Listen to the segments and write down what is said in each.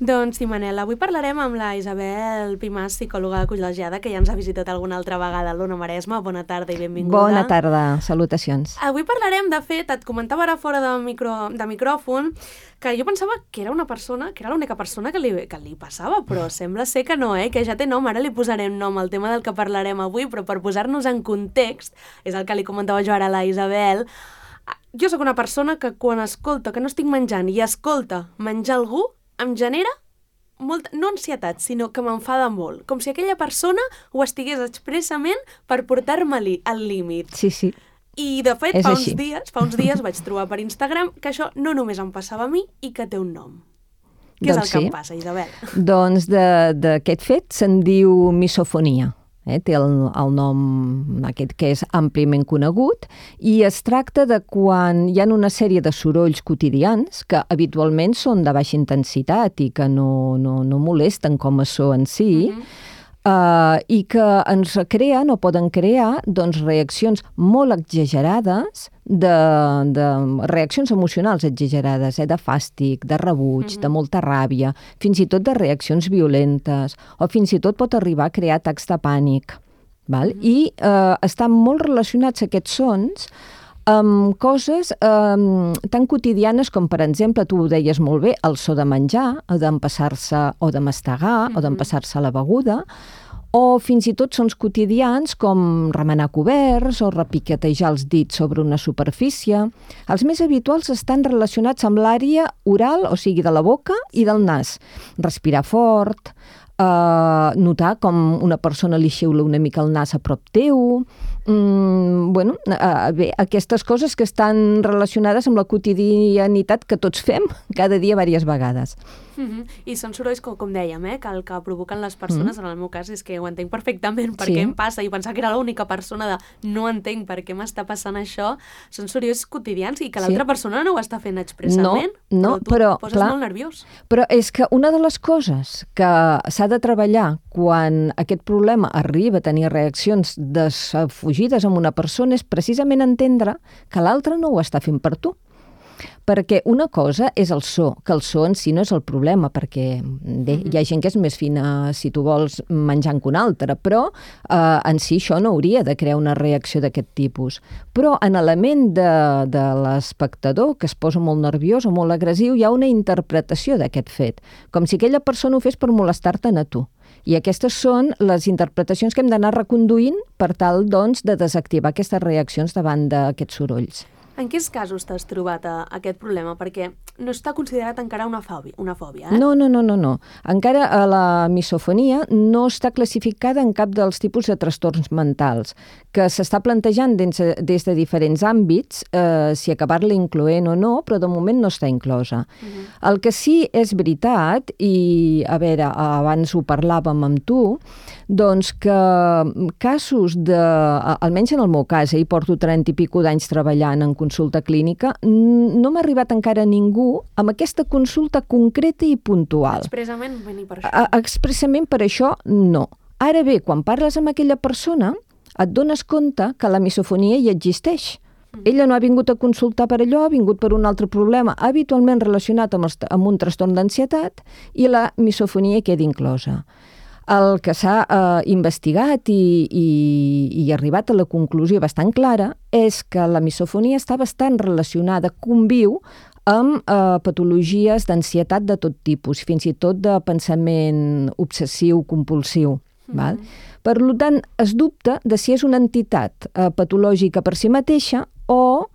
Doncs sí, Manel, avui parlarem amb la Isabel Pimàs, psicòloga col·legiada, que ja ens ha visitat alguna altra vegada a l'Ona Maresma. Bona tarda i benvinguda. Bona tarda, salutacions. Avui parlarem, de fet, et comentava ara fora de micròfon, que jo pensava que era una persona, que era l'única persona que li passava, però sembla ser que no, que ja té nom. Ara li posarem nom al tema del que parlarem avui, però per posar-nos en context, és el que li comentava jo ara a la Isabel. Jo sóc una persona que quan escolta que no estic menjant i escolta menjar algú, em genera molta, no ansietat, sinó que m'enfada molt. Com si aquella persona ho estigués expressament per portar-me al límit. Sí, sí. I, de fet, És fa així. uns dies vaig trobar per Instagram que això no només em passava a mi i que té un nom. Què és el que em passa, Isabel? Doncs d'aquest fet se'n diu misofonia. Té el nom aquest que és àmpliament conegut i es tracta de quan hi ha una sèrie de sorolls quotidians que habitualment són de baixa intensitat i que no molesten com a so en si, i que ens creen o poden crear reaccions molt exagerades, de reaccions emocionals exagerades, de fàstic, de rebuig, de molta ràbia, fins i tot de reaccions violentes, o fins i tot pot arribar a crear atacs de pànic. Val? I estan molt relacionats aquests sons amb coses tan quotidianes com, per exemple, tu ho deies molt bé, el so de menjar, o d'empassar-se o de mastegar, o d'empassar-se la beguda, o fins i tot sons quotidians com remenar coberts o repiquetejar els dits sobre una superfície. Els més habituals estan relacionats amb l'àrea oral, o sigui, de la boca i del nas. Respirar fort, notar com una persona li xiula una mica el nas a prop teu, bé, aquestes coses que estan relacionades amb la quotidianitat que tots fem cada dia diverses vegades. I són sorolls, com dèiem, que el que provoquen les persones, en el meu cas, és que ho entenc perfectament per què em passa, i pensar que era l'única persona de no entenc per què m'està passant això. Són sorolls quotidians i que l'altra persona no ho està fent expressament, però tu et poses molt nerviós. Però és que una de les coses que s'ha de treballar quan aquest problema arriba a tenir reaccions desfugides amb una persona és precisament entendre que l'altre no ho està fent per tu. Perquè una cosa és el so, que el so en si no és el problema, perquè bé, hi ha gent que és més fina, si tu vols, menjant que una altra, però en si això no hauria de crear una reacció d'aquest tipus. Però en l'element de l'espectador, que es posa molt nerviós o molt agressiu, hi ha una interpretació d'aquest fet, com si aquella persona ho fes per molestar-te'n a tu. I aquestes són les interpretacions que hem d'anar reconduint per tal, doncs, de desactivar aquestes reaccions davant d'aquests sorolls. En quins casos t'has trobat aquest problema? Perquè no està considerat encara una fòbia, No. Encara la misofonia no està classificada en cap dels tipus de trastorns mentals, que s'està plantejant des de diferents àmbits, si acabar-la incloent o no, però de moment no està inclosa. El que sí és veritat, i a veure, abans ho parlàvem amb tu, doncs que casos almenys en el meu cas, hi porto 30 i pico d'anys treballant en consulta clínica, no m'ha arribat encara ningú amb aquesta consulta concreta i puntual. Expressament venir per això? Expressament per això, no. Ara bé, quan parles amb aquella persona, et dones compte que la misofonia hi existeix. Ella no ha vingut a consultar per allò, ha vingut per un altre problema habitualment relacionat amb un trastorn d'ansietat, i la misofonia queda inclosa. El que s'ha investigat i arribat a la conclusió bastant clara és que la misofonia està bastant relacionada, conviu amb patologies d'ansietat de tot tipus, fins i tot de pensament obsessiu-compulsiu. Per tant, es dubta de si és una entitat patològica per si mateixa o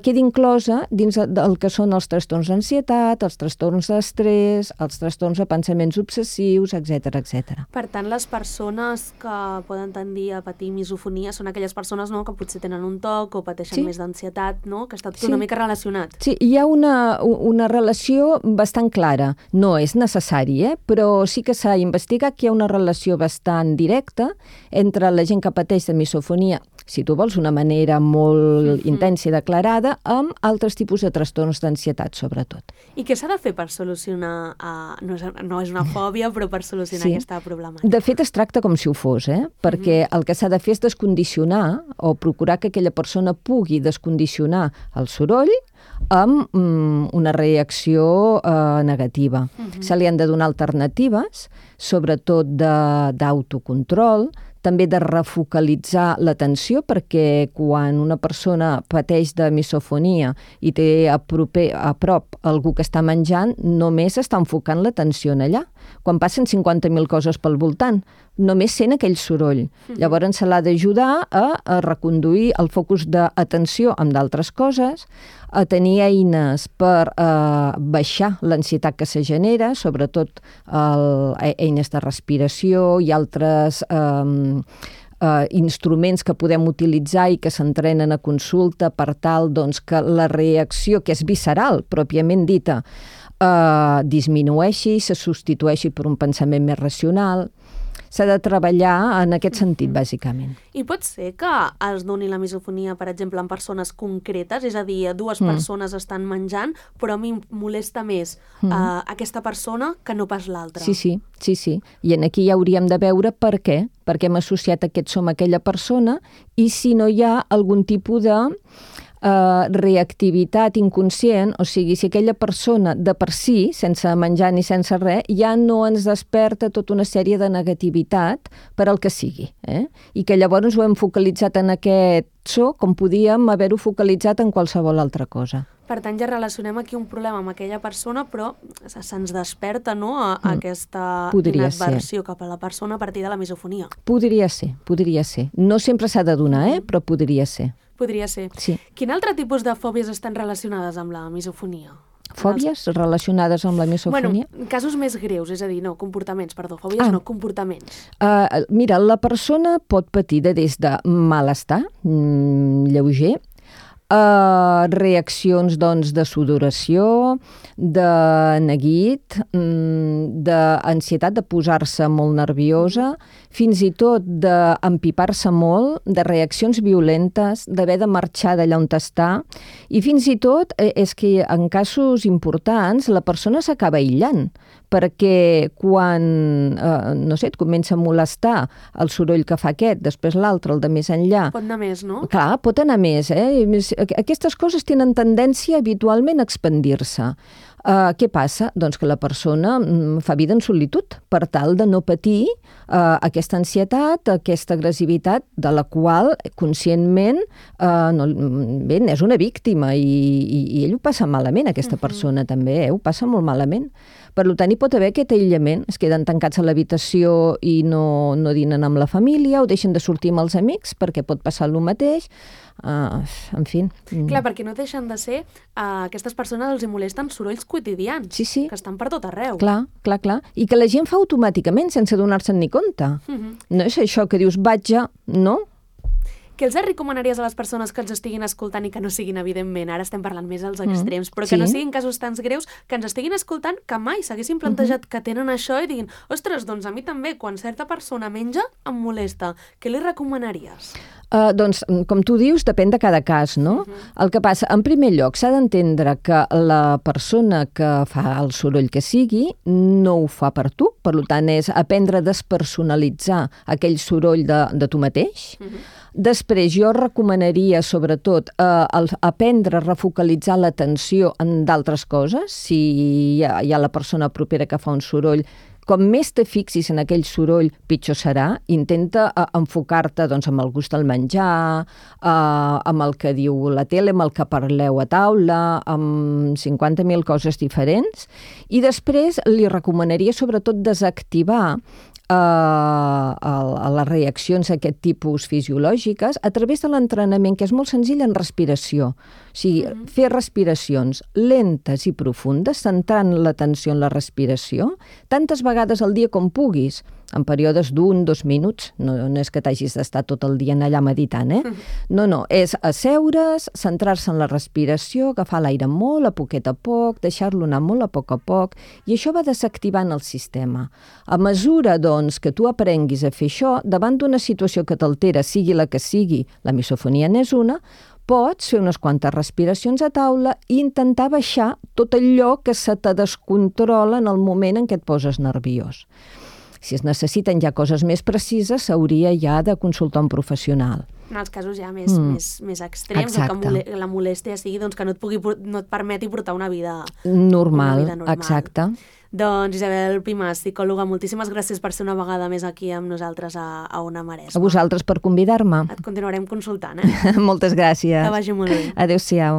queda inclosa dins del que són els trastorns d'ansietat, els trastorns d'estrès, els trastorns de pensaments obsessius, etc. Per tant, les persones que poden tendir a patir misofonia són aquelles persones que potser tenen un TOC o pateixen més d'ansietat, que està tot una mica relacionat. Sí, hi ha una relació bastant clara. No és necessari, però sí que s'ha investigat que hi ha una relació bastant directa entre la gent que pateix de misofonia, si tu vols, una manera molt intensa i declarada, amb altres tipus de trastorns d'ansietat, sobretot. I què s'ha de fer per solucionar, no és una fòbia, però per solucionar aquesta problemàtica? De fet, es tracta com si ho fos, perquè el que s'ha de fer és descondicionar o procurar que aquella persona pugui descondicionar el soroll amb una reacció negativa. Se li han de donar alternatives, sobretot d'autocontrol, també de refocalitzar l'atenció, perquè quan una persona pateix de misofonia i té a prop algú que està menjant, només està enfocant l'atenció en allà. Quan passen 50.000 coses pel voltant, només sent aquell soroll. Llavors se l'ha d'ajudar a reconduir el focus d'atenció amb d'altres coses, a tenir eines per baixar l'ansietat que se genera, sobretot eines de respiració i altres instruments que podem utilitzar i que s'entrenen a consulta per tal que la reacció, que és visceral, pròpiament dita, disminueixi, se substitueixi per un pensament més racional. S'ha de treballar en aquest sentit, bàsicament. I pot ser que es doni la misofonia, per exemple, en persones concretes? És a dir, dues persones estan menjant, però a mi molesta més aquesta persona que no pas l'altra. Sí. I aquí ja hauríem de veure per què. Perquè hem associat aquest som a aquella persona i si no hi ha algun tipus de reactivitat inconscient, o sigui, si aquella persona de per si, sense menjar ni sense res, ja no ens desperta tota una sèrie de negativitat per al que sigui. I que llavors ho hem focalitzat en aquest so com podíem haver-ho focalitzat en qualsevol altra cosa. Per tant, ja relacionem aquí un problema amb aquella persona, però se'ns desperta aquesta inadversió cap a la persona a partir de la misofonia. Podria ser. No sempre s'ha de donar, però podria ser. Podria ser. Sí. Quin altre tipus de fòbies estan relacionades amb la misofonia? Fòbies relacionades amb la misofonia? Bueno, casos més greus, és a dir, comportaments, fòbies no, comportaments. Mira, la persona pot patir des de malestar lleuger, reaccions de sudoració, de neguit, d'ansietat, de posar-se molt nerviosa, fins i tot d'empipar-se molt, de reaccions violentes, d'haver de marxar d'allà on està, i fins i tot és que en casos importants la persona s'acaba aïllant, perquè quan, et comença a molestar el soroll que fa aquest, després l'altre, el de més enllà... Pot anar més, no? Clar, pot anar més. Aquestes coses tenen tendència habitualment a expandir-se. Què passa? Doncs que la persona fa vida en solitud per tal de no patir aquesta ansietat, aquesta agressivitat de la qual conscientment és una víctima i ell ho passa malament, aquesta persona també, ho passa molt malament. Per tant, hi pot haver aquest aïllament, es queden tancats a l'habitació i no dinen amb la família o deixen de sortir amb els amics perquè pot passar el mateix. En fi. Clar, perquè no deixen de ser aquestes persones els hi molesten sorolls quotidians, sí. Que estan per tot arreu. Clar. I que la gent fa automàticament sense donar-se'n ni compte. No és això que dius, vaig a... No? Què els recomanaries a les persones que ens estiguin escoltant i que no siguin, evidentment, ara estem parlant més als extrems, però que no siguin casos tan greus, que ens estiguin escoltant, que mai s'haguessin plantejat que tenen això i diguin, ostres, doncs a mi també, quan certa persona menja, em molesta. Què li recomanaries? Doncs, com tu dius, depèn de cada cas, no? El que passa, en primer lloc, s'ha d'entendre que la persona que fa el soroll que sigui no ho fa per tu, per tant, és aprendre a despersonalitzar aquell soroll de tu mateix. Després, jo recomanaria, sobretot, aprendre a refocalitzar l'atenció en d'altres coses. Si hi ha la persona propera que fa un soroll, com més te fixis en aquell soroll, pitjor serà. Intenta enfocar-te amb el gust del menjar, amb el que diu la tele, amb el que parleu a taula, amb 50.000 coses diferents. I després li recomanaria, sobretot, desactivar a les reaccions a aquest tipus fisiològiques a través de l'entrenament, que és molt senzill en respiració. O sigui, fer respiracions lentes i profundes, centrant l'atenció en la respiració, tantes vegades al dia com puguis, en períodes d'1, 2 minuts. No és que t'hagis d'estar tot el dia allà meditant, No, és asseure's, centrar-se en la respiració, agafar l'aire molt a poquet a poc, deixar-lo anar molt a poc, i això va desactivant el sistema. A mesura, doncs, que tu aprenguis a fer això, davant d'una situació que t'altera, sigui la que sigui, la misofonia n'és una, pots fer unes quantes respiracions a taula i intentar baixar tot allò que se te descontrola en el moment en què et poses nerviós. Si es necessiten ja coses més precises, s'hauria ja de consultar un professional. En els casos ja més extrems, o que la molèstia sigui doncs, que no et permeti portar una vida normal. Exacte. Doncs Isabel Pimàs, psicòloga, moltíssimes gràcies per ser una vegada més aquí amb nosaltres a Ona Maresma. A vosaltres per convidar-me. Et continuarem consultant, Moltes gràcies. Que vagi molt bé. Adéu-siau.